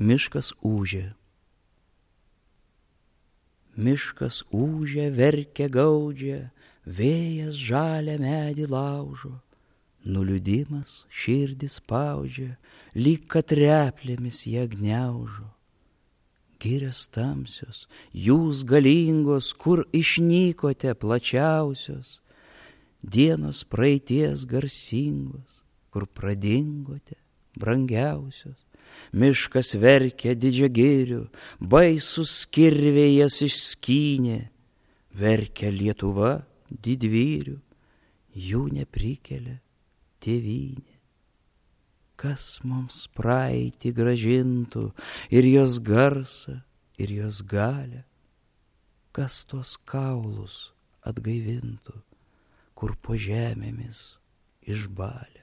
Miškas ūžia. Miškas ūžia, verkia, gaudžia, vėjas žalią medį laužo, nuliūdimas širdį spaudžia, lyg kad replėmis ją gniaužo. Girios tamsios, jūs galingos, kur išnykote plačiausios, dienos praeities garsingos, kur pradingote brangiausios. Miškas verkia didžią girių, baisus kirviai jas išskynė, verkia Lietuva didvyrių, jų neprikelia tėvynė. Kas mums praeitį gražintų ir jos garsą, ir jos galią, kas tuos kaulus atgaivintų, kur po žemėmis išbalę.